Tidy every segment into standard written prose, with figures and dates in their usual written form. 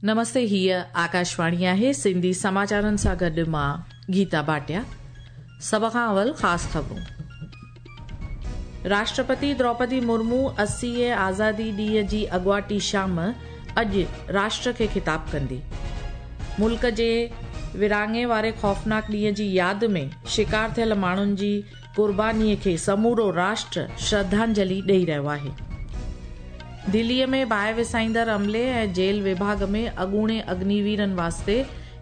نمستي هيء آڪاشواڻي آهي سنڌي سماچارن سان گڏ مان گيتا ڀاٽيا سڀ کان اول خاص خبرون راشٽرپتي دروپدي مرمو 80 آزادي ڏينهن جي اڳواٽي شام اڄ راشٽر کي خطاب ڪندي. ملڪ جي ورهاڱي واري خوفناڪ ڏينهن جي ياد ۾ شڪار ٿيل ماڻهن جي قرباني کي سمورو راشٽر شرڌانجلي ڏئي رهيو آهي. دليء ۾ باهه وسائيندڙ عملي ۽ جيل وڀاڳ ۾ اڳوڻي اگنيويرن واسطي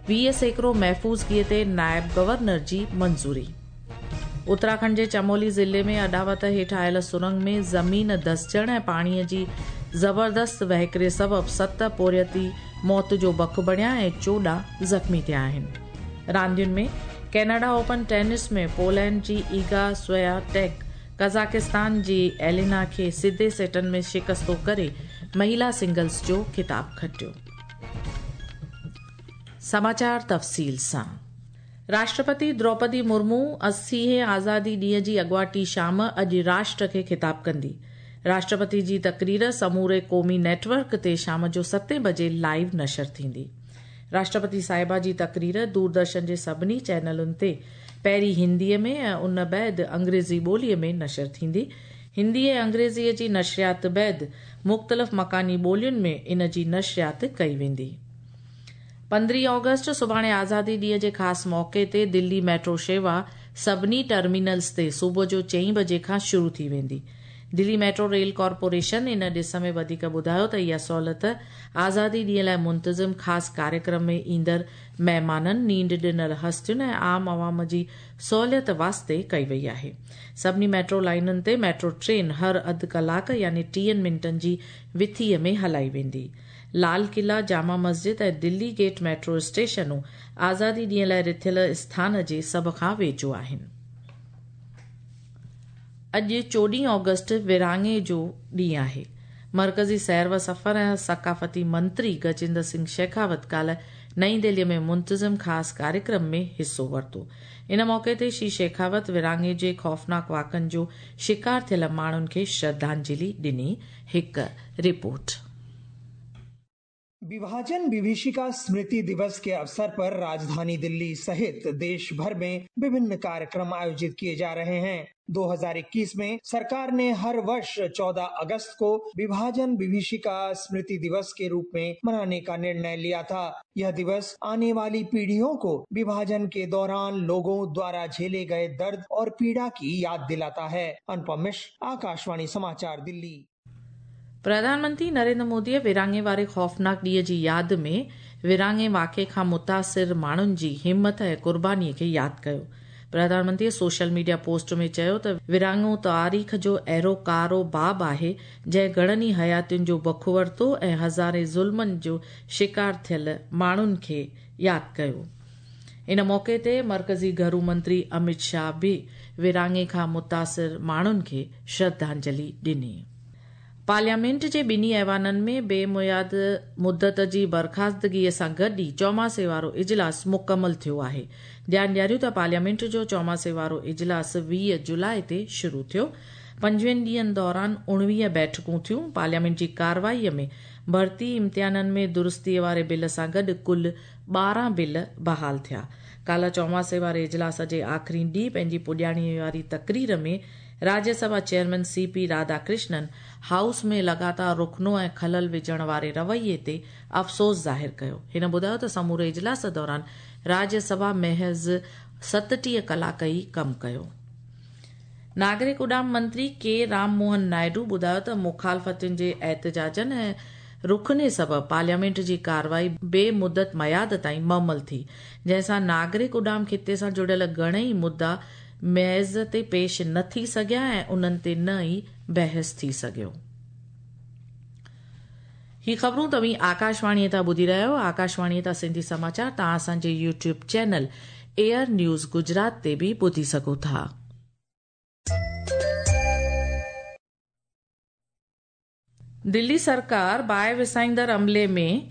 20% محفوظگيء تي نائب گورنر جي منظوري. اتراکنڊ جي چمولي ضلعي ۾ اڏاوت هيٺ آيل سرنگ ۾ زمين ڌسجڻ ۽ پاڻيء جي زبردست وهڪري سبب 7 پورهيتي موت جو بک بڻيا ۽ 14 زخمي ٿيا آهن. راندين ۾ ڪينيڊا اوپن ٽينس ۾ پولينڊ جي ايگا سويا ٽيڪ قزاقستان جي ايلينا کي سڌي سيٽن ۾ شڪستو ڪري مهلا سنگلز جو خطاب کٽيو. سماچار تفصيل سان راشٽرپتي دروپدي مرمو 80هين آزادي ڏينهن جي اڳواٽي شام اڄ راشٽر کي خطاب ڪندي. راشٽرپتي جي تقرير سموري قومي نيٽ ورڪ تي شام جو 7 بجي لائيو نشر ٿيندي. راشٽرپتي صاحبه جي تقرير دوردرشن جي سڀني چينلن تي پهرين هنديء ۾ ۽ ان بعد انگريزي ٻوليء ۾ نشر ٿيندي. هندي ۽ انگريزيء جي نشريات بعد مختلف مڪاني ٻولين ۾ ان جي نشريات ڪئي ويندي. 15 آگسٽ سڀاڻي آزادي ڏينهن جي خاص موقعي تي دلي ميٽرو شيوا سڀني ٽرمينلز تي صبح جو 4 بجي کان شروع ٿي ويندي. دلي ميٽرو ريل ڪارپوريشن ان ڏس ۾ وڌيڪ ٻڌايو ته اها سهولت آزادي ڏينهن لاء منتظم خاص ڪاريڪرم ۾ ايندڙ مهمانن، نينڍ ڏنل هستين ۽ عام عوام جي سهوليت واسطي ڪئي وئي آهي. سڀني ميٽرو لائينن تي ميٽرو ٽرين هر اڌ ڪلاڪ يعني 30 منٽن جي وٿيء ۾ هلائي ويندي. لال قلعا، جامع مسجد ۽ دلي گيٽ ميٽرو اسٽيشنون آزادي ڏينهن لاء رٿيل اسٿان جي سڀ کان ويجهو آهن. اڄ 14 آگسٽ ورهاڱي جو ڏينهن آهي. مرڪزي سير و سفر ۽ ثقافتي منتري گجيندر سنگهه شيخاوت ڪالهه نئين دهليء ۾ منتظم خاص ڪاريڪرم ۾ حصو ورتو. ان موقعي تي شري شيخاوت ورهاڱي جي خوفناڪ واقعن جو شڪار ٿيل ماڻهن کي شرڌانجلي ڏني. هڪ رپورٽ. विभाजन विभीषिका स्मृति दिवस के अवसर पर राजधानी दिल्ली सहित देश भर में विभिन्न कार्यक्रम आयोजित किए जा रहे हैं। 2021 में सरकार ने हर वर्ष 14 अगस्त को विभाजन विभीषिका स्मृति दिवस के रूप में मनाने का निर्णय लिया था। यह दिवस आने वाली पीढ़ियों को विभाजन के दौरान लोगों द्वारा झेले गए दर्द और पीड़ा की याद दिलाता है। अनुपम मिश्र, आकाशवाणी समाचार, दिल्ली। प्रधानमंत्री नरेंद्र मोदीअ विरहाङे वारे ख़ौफ़नाक ॾींहं जी याद में विरहाङे वाक़े खां मुतासिर माण्हुनि जी हिमत ऐं क़ुर्बानीअ खे यादि कयो। प्रधानमंत्रीअ सोशल मीडिया पोस्ट में चयो त विरहाङो तारीख़ जो अहिड़ो कारो बाब आहे जंहिं घणनि ई हयातियुनि जो बख वरितो ऐं हज़ारे ज़ुल्मनि जो शिकार थियल माण्हुनि खे यादि कयो। इन मौक़े ते मर्कज़ी घरू मंत्री अमित शाह बि विरहाङे खां मुतासिर माण्हुनि खे श्रद्धांजलि ॾिनी। पार्लियामेंट जे ॿिन्ही ऐवाननि में बेमुयाद मुदत जी बर्खास्तगीअ सां गॾु ई चौमासे वारो इजलास मुकमल थियो आहे। ध्यानु ॾियारियूं त पार्लियामेंट जो चौमासे वारो इजलास 20 जुलाई ते शुरू थियो। 25 ॾींहंनि दौरान 19 बैठकूं थियूं। पार्लियामेंट जी कार्रवाईअ में भर्ती इम्तिहाननि में दुरुस्तीअ वारे बिल सां गॾु कुल 12 बिल बहाल थिया। काल्ह चौमासे वारे इजलास जे आख़िरी ॾींहुं पंहिंजी पुॼाणीअ वारी तकरीर में Rajya Sabha chairman CP Radhakrishnan house में लगातार रुखनो ऐं ख़लल विझण वारे रवैये ते अफ़सोस ज़ाहिर कयो। हिन ॿुधायो त समूरे इजलास दौरान राज्यसभा महज़ 37 कलाक ई कमु कयो। नागरिक उॾाम मंत्री के राम मोहन नायडू ॿुधायो त मुखालफ़तुनि जे एहतजाजनि ऐं रुखने सबबि पार्लियामेंट जी कार्रवाई बेमुदत मयाद ताईं मुअमल थी, जंहिं सां नागरिक उॾाम खिते सां जुड़ियल घणेई मुद्दा मेज़ ते पेश न थी सघिया ऐं उन्हनि ते न ई बहस थी सघियो। ही ख़बरूं तव्हीं आकाशवाणीअ तां ॿुधी रहिया आहियो। आकाशवाणीअ तां सिंधी समाचार तव्हां असांजे YouTube channel AIR news Gujarat ते बि ॿुधी सघो था। दिल्ली सरकार बाहि विसाईंदड़ अमले में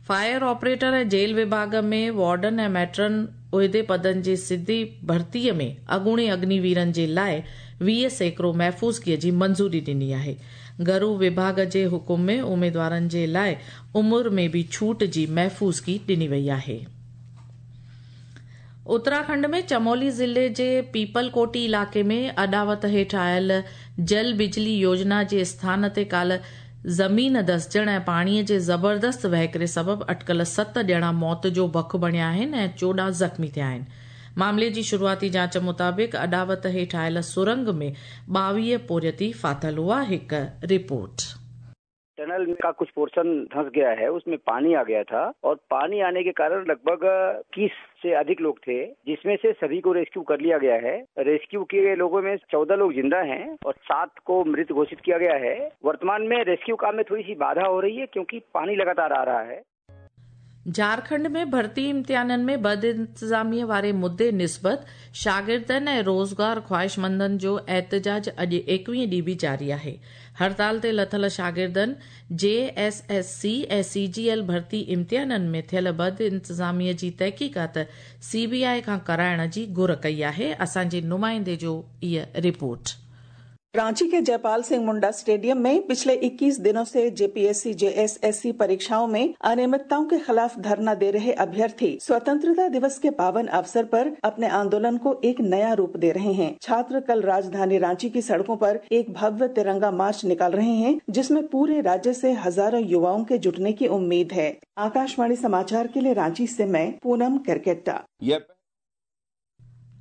फायर ऑपरेटर ऐं जेल विभाग में वार्डन ऐं मैट्रन عهدي پدن جي سڌي ڀرتيء ۾ اڳوڻي اگنيويرن جي لاءِ 20% محفوظگيء جي منظوري ڏني آهي. گهرو وڀاڳ جي حڪم ۾ اميدوارن جي لاءِ عمر ۾ به ڇوٽ جي محفوظگي ڏني وئي آهي. اتراکنڊ ۾ چمولي ضلعي جي پيپل ڪوٽي علائقي ۾ اڏاوت هيٺ آيل جل بجلي يوجنا جي اسٿان تي ڪالهه زمين دسجڻ ۽ پاڻيء جي زبردست وهڪري سبب اٽڪل 7 ڄڻا موت جو بک بڻيا آهن ۽ 14 زخمي ٿيا آهن. معاملي جي شروعاتي جاچ مطابق اڏاوت هيٺ آيل سرنگ ۾ 22 پورهيتي ڦاٿل هئا. هڪ رپورٽ. टनल का कुछ पोर्शन धंस गया है, उसमें पानी आ गया था और पानी आने के कारण लगभग 21 से अधिक लोग थे, जिसमें से सभी को रेस्क्यू कर लिया गया है। रेस्क्यू किए लोगों में 14 लोग जिंदा हैं और 7 को मृत घोषित किया गया है। वर्तमान में रेस्क्यू काम में थोड़ी सी बाधा हो रही है क्योंकि पानी लगातार आ रहा है। झारखंड में भर्ती इम्तिहाननि में बदइंतज़ामीअ वारे मुद्दे निस्बत शागिर्दनि ऐं रोज़गार ख़्वाहिशमंदनि जो एहतजाज अॼु 21 ॾींहुं बि जारी आहे। हड़ताल ते लथल शागिर्दनि जे एस एस सी ऐं सी जी एल भर्ती इम्तिहाननि में थियल बदइंतज़ामीअ जी तहक़ीक़ात सी बी I खां कराइण जी घुर कई आहे। असांजे नुमाइंदे जो हीअ रिपोर्ट। रांची के जयपाल सिंह मुंडा स्टेडियम में पिछले 21 दिनों से जेपीएससी जेएसएससी परीक्षाओं में अनियमितताओं के खिलाफ धरना दे रहे अभ्यर्थी स्वतंत्रता दिवस के पावन अवसर पर अपने आंदोलन को एक नया रूप दे रहे हैं। छात्र कल राजधानी रांची की सड़कों पर एक भव्य तिरंगा मार्च निकाल रहे हैं, जिसमें पूरे राज्य से हजारों युवाओं के जुटने की उम्मीद है। आकाशवाणी समाचार के लिए रांची से मैं पूनम केरकेट्टा।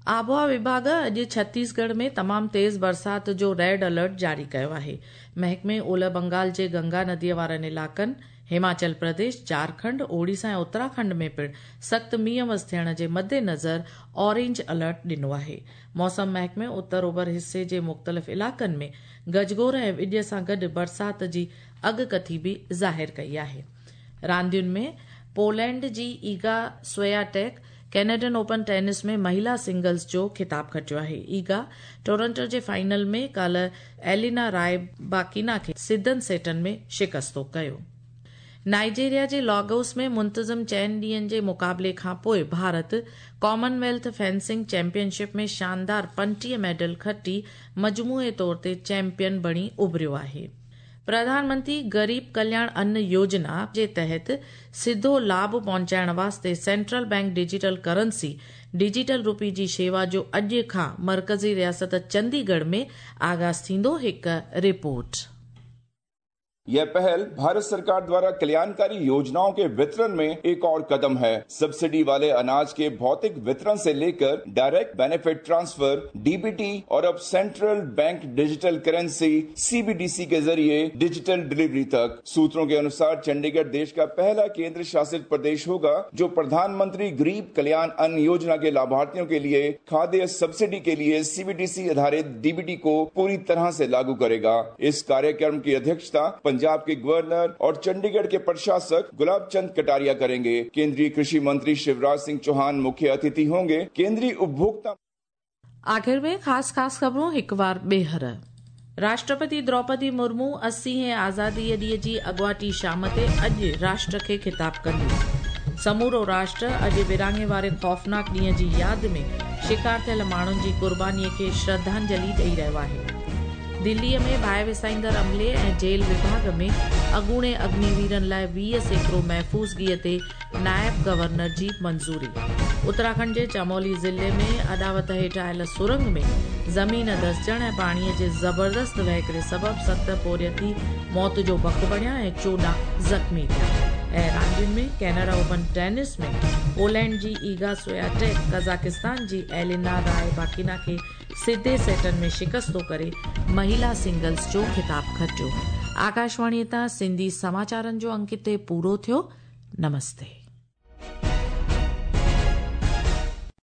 आबहावा विभाग अॼु छत्तीसगढ़ में तमाम तेज़ बरसात जो रेड अलर्ट जारी कयो आहे। महकमे ओलह बंगाल जे गंगा नदीअ वारनि इलाइक़नि, हिमाचल प्रदेश, झारखंड, ओडिशा ऐं उत्तराखंड में पिणु सख़्तु मींहुं वस थियण जे मद्देनज़र ऑरेंज अलर्ट ॾिनो आहे। मौसम महकमे उत्तर ओभर हिस्से जे मुख़्तलिफ़ इलाइक़नि में गजगोर ऐं विॼ सां गॾु बरसात जी अॻकथी बि ज़ाहिर कई आहे। रांदियुनि में पोलैंड जी Iga Swiatek Canadian Open tennis में महिला सिंगल्स जो खिताब खटियो आहे। ईगा टोरंटो जे फाइनल में काल्हि एलिना राय बाकीना खे सिधनि सेटनि में शिकस्तो कयो। नाइजीरिया जे लागोस में मुंतज़िम 4 ॾींहनि जे मुक़ाबले खां पोइ भारत कॉमनवेल्थ फेंसिंग चैंपियनशिप में शानदार 35 मेडल खटी मजमूए तौर ते चैंपियन बणी उभरियो आहे। प्रधानमंत्री गरीब कल्याण अन्न योजना जे तहत सिधो लाभ पहुचाइण वास्ते central bank digital currency digital rupee जी शेवा जो अॼु खां मर्कज़ी रियासत चंडीगढ़ में आगाज़ थींदो। हिकु रिपोर्ट। यह पहल भारत सरकार द्वारा कल्याणकारी योजनाओं के वितरण में एक और कदम है। सब्सिडी वाले अनाज के भौतिक वितरण से लेकर डायरेक्ट बेनिफिट ट्रांसफर डीबीटी और अब central bank digital currency CBDC के जरिए डिजिटल डिलीवरी तक। सूत्रों के अनुसार चंडीगढ़ देश का पहला केंद्र शासित प्रदेश होगा जो प्रधानमंत्री गरीब कल्याण अन्न योजना के लाभार्थियों के लिए खाद्य सब्सिडी के लिए सीबीडीसी आधारित डीबीटी को पूरी तरह से लागू करेगा। इस कार्यक्रम की अध्यक्षता पंजाब के गवर्नर और चंडीगढ़ के प्रशासक गुलाब चंद कटारिया करेंगे। केंद्रीय कृषि मंत्री शिवराज सिंह चौहान मुख्य अतिथि होंगे। केंद्रीय उपभोक्ता। आखिर में खास खास ख़बरूं हिकु बार ॿीहर। राष्ट्रपति द्रौपदी मुर्मू 80 आज़ादीअ ॾींहं जी अॻुवाटी शाम ते अॼु राष्ट्र खे ख़िताब कंदी। समूरो राष्ट्र अॼु विरहाङे वारे ख़ौफ़नाक ॾींहं जी यादि में शिकार थियल माण्हुनि जी क़ुर्बानीअ खे श्रद्धांजलि ॾेई रहियो आहे। दिल्लीअ में बाहि विसाईंदड़ अमले ऐं जेल विभाग में अॻूणे अग्निवीरनि लाइ 20% महफ़ूज़गीअ ते नायब गवर्नर जी मंज़ूरी। उत्तराखंड जे चमोली ज़िले में अॾावत हेठि आयल सुरंग में ज़मीन धसजण ऐं पाणीअ जे ज़बरदस्त वहिकरे सबबु 7 पोरियती मौत जो बक बणिया ऐं 14 ज़ख़्मी थिया। ऐं रांदियुनि में कनाडा ओपन टेनिस में पोलैंड जी ईगा स्वियाटेक कज़ाकिस्तान जी एलिना राय बाकीना खे सिधे सेटनि में शिकस्तो करे महिला सिंगल्स जो ख़िताब खटियो। आकाशवाणीअ तां सिंधी समाचारनि जो अंक हिते पूरो थियो। नमस्ते।